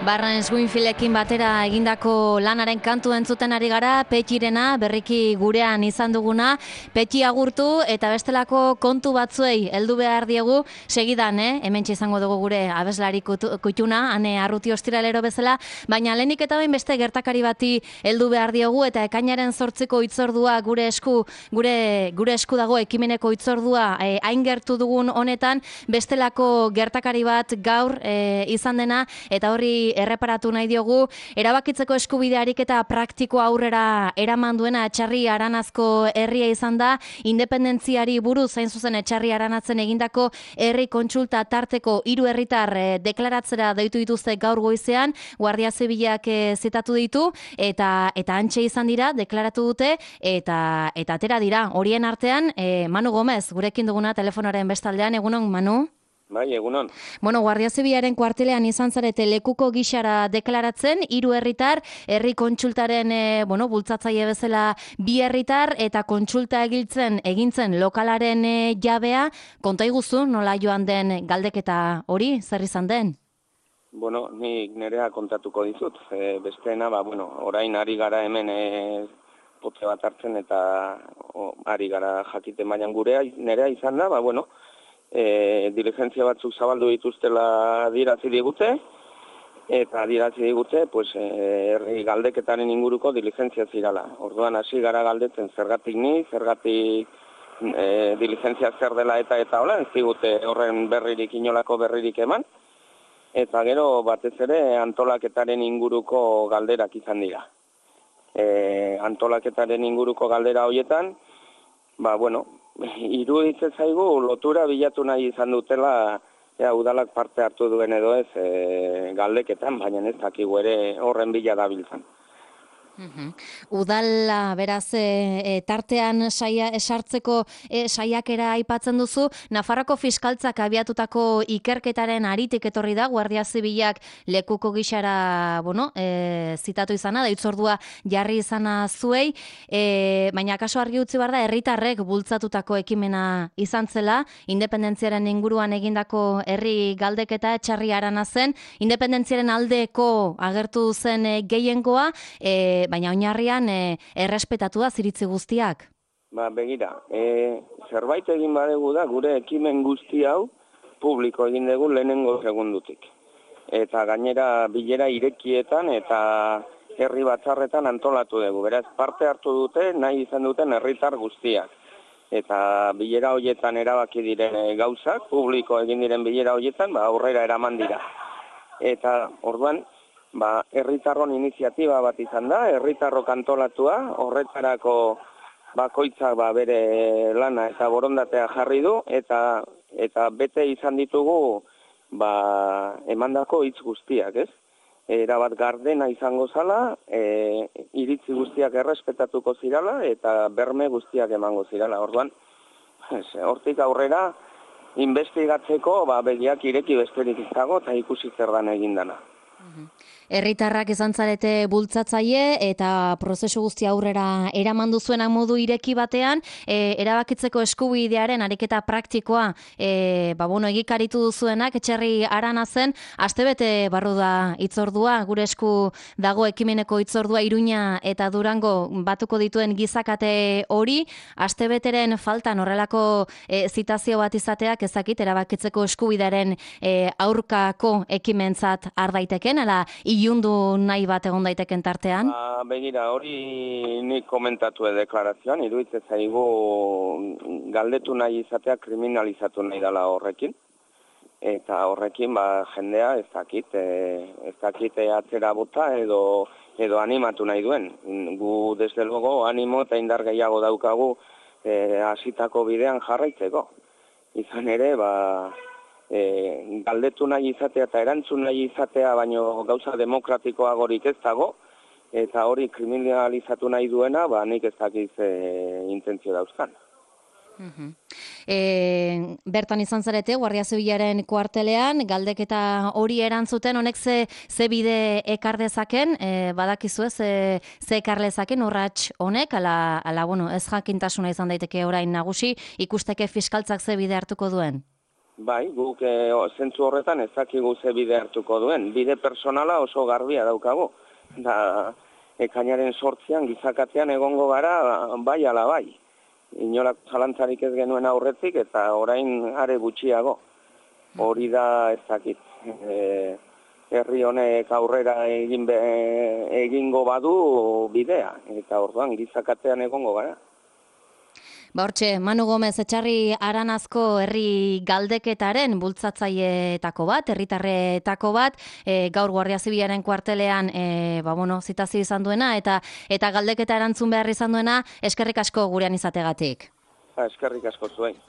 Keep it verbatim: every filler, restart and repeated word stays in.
Barnes Winfieldekin batera egindako lanaren kantu entzuten ari gara, Petxirena, berriki gurean izan duguna, Petxi agurtu eta bestelako kontu batzuei heldu behar diegu, segidan, eh? Hementxe izango dugu gure abeslari kutxuna, ane arruti ostiralero bezala, baina lehenik eta bain beste gertakari bati heldu behar diogu eta ekainaren zortziko hitzordua gure esku, gure, gure esku dago ekimeneko hitzordua eh, hain gertu dugun honetan, bestelako gertakari bat gaur eh, izan dena eta horri erreparatu nahi diogu, erabakitzeko eskubidearik eta praktiko aurrera eraman duena Etxarri Aranazko herria izan da, independentziari buruz zain zuzen Etxarri Aranatzen egindako herri kontsulta tarteko hiru herritar eh, deklaratzera deitu dituzte gaur goizean, Guardia Zibilak eh, zitatu ditu eta eta antxe izan dira, deklaratu dute eta eta atera dira. Horien artean, eh, Manu Gomez, gurekin duguna telefonaren bestaldean, egunon Manu? Bai, egunon. Bueno, Guardia Zibilaren kuartelean izan zarete lekuko gixara deklaratzen, hiru herritar, herri kontsultaren e, bueno, bultzatzaile bezala bi herritar eta kontsulta egiltzen egintzen lokalaren e, jabea, konta iguzu nola joan den galdeketa hori, zer izan den? Bueno, nik nerea kontatuko dizut. E, besteena, ba, bueno, orain ari gara hemen e, pote bat hartzen eta o, ari gara jakite mailan gurea, nerea izan da, ba, bueno, E, diligentzia batzuk zabaldu dituztela dirazi digute, eta dirazi digute, pues, e, herri galdeketaren inguruko diligentzia zirala. Orduan hasi gara galdetzen zergatik ni, zergatik e, diligentzia zer dela eta eta hola, ez digute horren berririk inolako berririk eman, eta gero batez ere antolaketaren inguruko galderak izan dira. E, antolaketaren inguruko galdera horietan, ba, bueno, iruditzen zaigu lotura bilatu nahi izan dutela ja, udalak parte hartu duen edo ez e, galdeketan, baina ez dakigu ere horren bila dabiltzan. Uhum. Udala, beraz, e, tartean saia, esartzeko e, saiakera aipatzen duzu, Nafarroko fiskaltzak abiatutako ikerketaren aritik etorri da, Guardia Zibilak lekuko gixara, bueno, e, zitatu izana, da hitzordua jarri izana zuei, e, baina kaso argi utzi behar da, herritarrek bultzatutako ekimena izan zela, independentziaren inguruan egindako herri galdeketa Etxarri Aranazen, independentziaren aldeko agertu zen e, gehiengoa, e, baina oinarrian e, errespetatu da ziritzi guztiak. Ba, begira, e, zerbait egin badegu da gure ekimen guzti hau publiko egin dugu lehenengo segundutik. Eta gainera bilera irekietan eta herri batzarretan antolatu dugu. Beraz, parte hartu dute nahi izan duten herritar guztiak. Eta bilera horietan erabaki diren gauzak, publiko egin diren bilera horietan, ba, aurrera eraman dira. Eta orduan, ba, herritarron iniziatiba bat izan da, herritarrok antolatua, horretarako bakoitzak ba, bere lana eta borondatea jarri du, eta eta bete izan ditugu ba, emandako hitz guztiak, ez? Erabat gardena izango zala, e, iritzi guztiak errespetatuko zirala, eta berme guztiak emango zirala. Orduan, hortik aurrera, investigatzeko ba, begiak ireki besterik izago, eta ikusi zer dan egindana. Herritarrak izan zarete bultzatzaile eta prozesu guzti aurrera eraman duzuena modu ireki batean, e, erabakitzeko eskubidearen ariketa praktikoa e, ba, bueno, egikaritu duzuenak Etxarri Aranazen, astebete barru da hitzordua, gure esku dago ekimeneko hitzordua Iruña eta Durango batuko dituen gizakate hori, astebeteren faltan horrelako e, zitazio bat izateak ezakit erabakitzeko eskubidearen e, aurkako ekimentzat ardaiteken, ala ilundu nahi bat egon daiteken tartean? Ba, begira, hori nik komentatu deklarazioan, iruditzen zaigu galdetu nahi izatea kriminalizatu nahi dela horrekin. Eta horrekin ba, jendea ez dakit, e, ez dakit atzera bota edo, edo animatu nahi duen. Gu, desde luego, animo eta indar gehiago daukagu e, hasitako bidean jarraitzeko. Izan ere, ba... E, galdetu nahi izatea eta erantzun nahi izatea baino gauza demokratikoagorik ez dago eta hori kriminalizatu nahi duena ba nik ez dakiz e, intentzio dauzkan. Uh-huh. E, bertan izan zarete Guardia Zibilaren kuartelean galdeketa hori erantzuten honek ze, ze bide ekar dezaken, e, badakizu ez, ze, ze ekar lezaken urrats honek, ala, ala bueno, ez jakintasuna izan daiteke orain nagusi, ikusteke fiskaltzak ze bide hartuko duen? Bai, guk e, zentzu horretan ez dakigu ze bide hartuko duen. Bide personala oso garbia daukagu. Da, ekainaren sortzian, gizakatean egongo gara, bai ala bai. Inolako zalantzarik ez genuen aurretik eta orain are gutxiago. Hori da ez dakit. E, herri honek aurrera egin be, egingo badu bidea. Eta orduan gizakatean egongo gara. Ba hortxe, Manu Gomez Etxarri Aranazko herri galdeketaren bultzatzaileetako bat, herritarretako bat, e, gaur Guardia Zibilaren kuartelean e, ba, bueno, zitazio izan duena eta eta galdeketa erantzun behar izan duena, eskerrik asko gurean izategatik. Ba, eskerrik asko zuen.